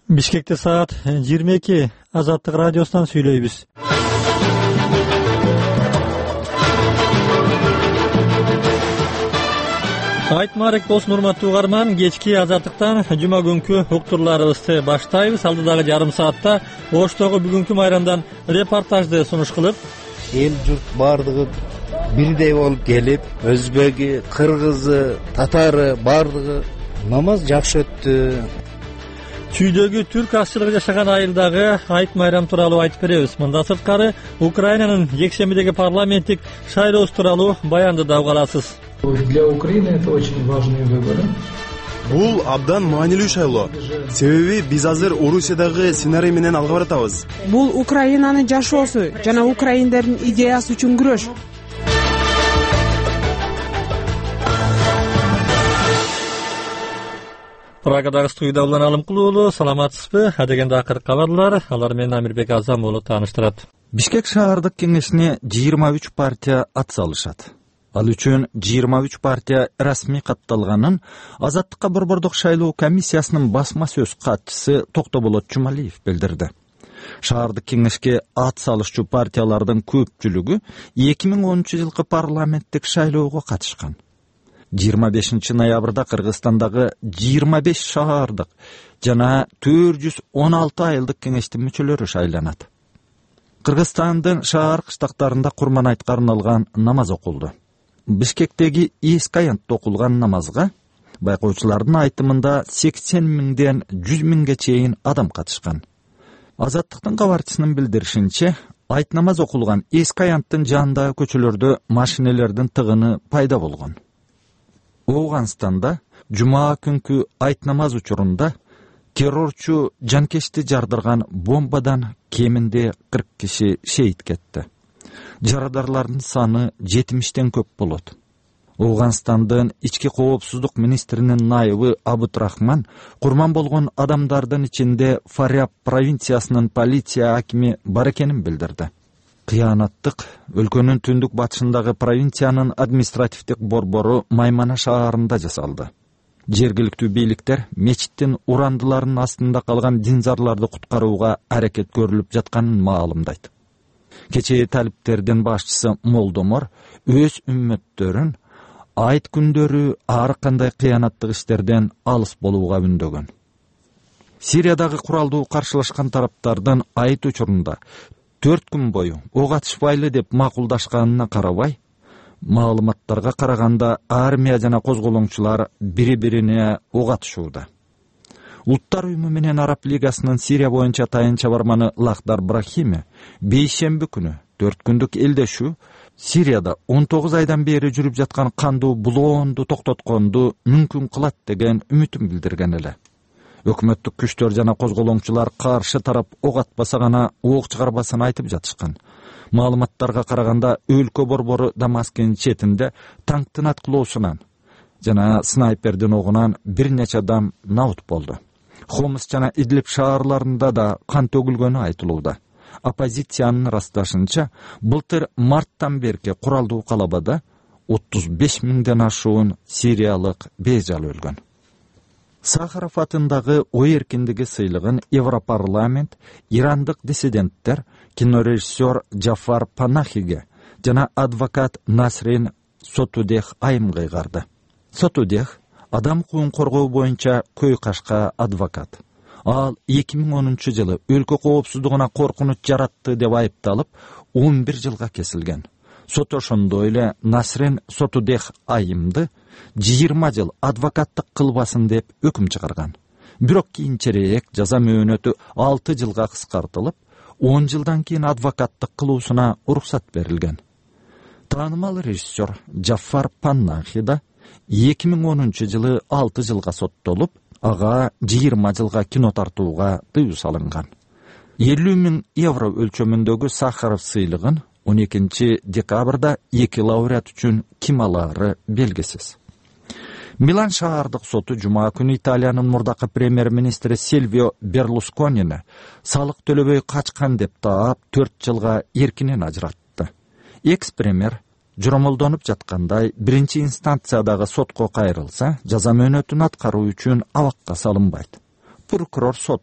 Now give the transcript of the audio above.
Бишкекте саат 22. Азаттык радиосунан сүйлөйбүз. Айтмарек болсун урматтуу угарман, кечки Азаттыктан жума күнкү уктурларыбызды баштайбыз. Алдыдагы жарым саатта Оштогу бүгүнкү майрамдан репортажды сунуш кылып, эл журт баардыгы бирдей болуп келип, өзбеги, кыргызы, татары баардыгы намаз жакшы өттү. Чүйдөгү түрк азчылыгы жашаган айылдагы айт майрам тууралуу айтып беребиз. Мындан сырткары Украинанын жекшембидеги парламенттик шайлоосу тууралуу баянды да уга аласыз. Для Украины это очень важные выборы. Бул абдан маанилүү шайлоо. Себеби биз азыр Орусиядагы сценарий менен алга баратабыз. Бул Украинанын жашоосу жана украиндердин идеясы үчүн күрөш. Прагадагы студияда уланалым кылуулу, саламатсызбы? Адегенде акыркы кабарлар, алар менен Амирбек Азам болуп тааныштырат. Бишкек шаардык кеңешине 23 партия ат салышат. Ал үчүн 23 партия расмий катталганын Азаттыкка борбордук шайлоо комиссиясынын басма сөз катчысы Токтоболот Жумалиев билдирди. Шаардык кеңешке ат салышчу партиялардын көпчүлүгү 2010 жылкы парламенттик шайлоого катышкан. 25 ноябрда Кыргызстандагы 25 шаардык жана 416 айылдык кеңештин мүчөлөрү шайланат. Кыргызстандын шаар кыштактарында Курман айтка арналган намаз окулду. Бишкектеги эски аянтта окулган намазга байкоочулардын айтымында 80 миңден 100 миңге чейин адам катышкан. Азаттыктын кабарчысынын билдиришинче, айт намаз окулган эски аянттын жанындагы көчөлөрдө машинелердин тыгыны пайда болгон. Ооганстанда жума күнкү айт намаз учурунда террорчу жанкечти жардырган бомбадан кеминде 40 киши шейит кетти. Жарадарлардын саны 70тен көп болот. Ооганстандын ички коопсуздук министринин найыбы Абутрахман курман болгон адамдардын ичинде Фаряб провинциясынын полиция акими бар экенин билдирди. Кыянаттык өлкөнүн түндүк батышындагы провинциянын административдик борбору Маймана шаарында жасалды. Жергиликтүү бийликтер мечиттин урандыларынын астында калган динзарларды куткарууга аракет көрүлүп жатканын маалымдайт. Кечээ талиптердин башчысы Молдомор өз үммөттөрүн айт күндөрү ар кандай кыянаттык иштерден алыс болууга үндөгөн. Сириядагы куралдуу каршылашкан тараптардын айт учурунда 4 күн бою ок атышпайлы деп макулдашканына карабай, маалыматтарга караганда армия жана козголоңчулар бири-бирине ок атышууда. Улуттар уюму менен Араб лигасынын Сирия боюнча тайынча барманы Лахдар Брахими бейшемби күнү 4 күндүк элдешүү Сирияда 19 айдан бери жүрүп жаткан кандуу булоонду токтотконду мүмкүн кылат деген үмүтүн билдирген эле. Өкмөттүк күчтөр жана козголоңчулар каршы тарап ок атпаса гана ок чыгарбасын айтып жатышкан. Маалыматтарга караганда өлкө борбору Дамаскынын четинде танктын аткылоосунан жана снайпердин огунан бир нече адам набут болду. Хомс жана Идлиб шаарларында да кан төгүлгөнү айтылууда. Оппозициянын ырасташынча, былтыр марттан берки куралдуу калабада 35 миңден ашуун сириялык бейжал өлгөн. Сахаров атындагы ой эркиндиги сыйлыгын Европарламент ирандык диссиденттер кинорежиссер Джафар Панахиге жана адвокат Насрин Сотудех айымга ыйгарды. Сотудех адам укугун коргоо боюнча көй кашка адвокат. Ал 2010 жылы өлкө коопсуздугуна коркунуч жаратты деп айыпталып 11 жылга кесилген. Сот ошондой эле Насрин Сотудех айымды 20 жыл адвокаттык кылбасын деп өкүм чыгарган. Бирок кийинчерээк жаза мөөнөтү 6 жылга кыскартылып, 10 жылдан кийин адвокаттык кылуусуна уруксат берилген. Таанымал режиссер Джафар Панахи да 2010 жылы 6 жылга соттолуп, ага 20 жылга кино тартууга тыюу салынган. 50 миң евро өлчөмүндөгү Сахаров сыйлыгын 12 декабрда 2 лауреат үчүн ким алаары белгисиз. Милан шаардык соту жума күнү Италиянын мурдакы премьер-министри Сильвио Берлусконини салык төлөбөй качкан деп таап 4 жылга эркинен ажыратты. Экс-премьер жоромолдонуп жаткандай биринчи инстанциядагы сотко кайрылса, жаза мөөнөтүн аткаруу үчүн абакка салынбайт. Прокурор сот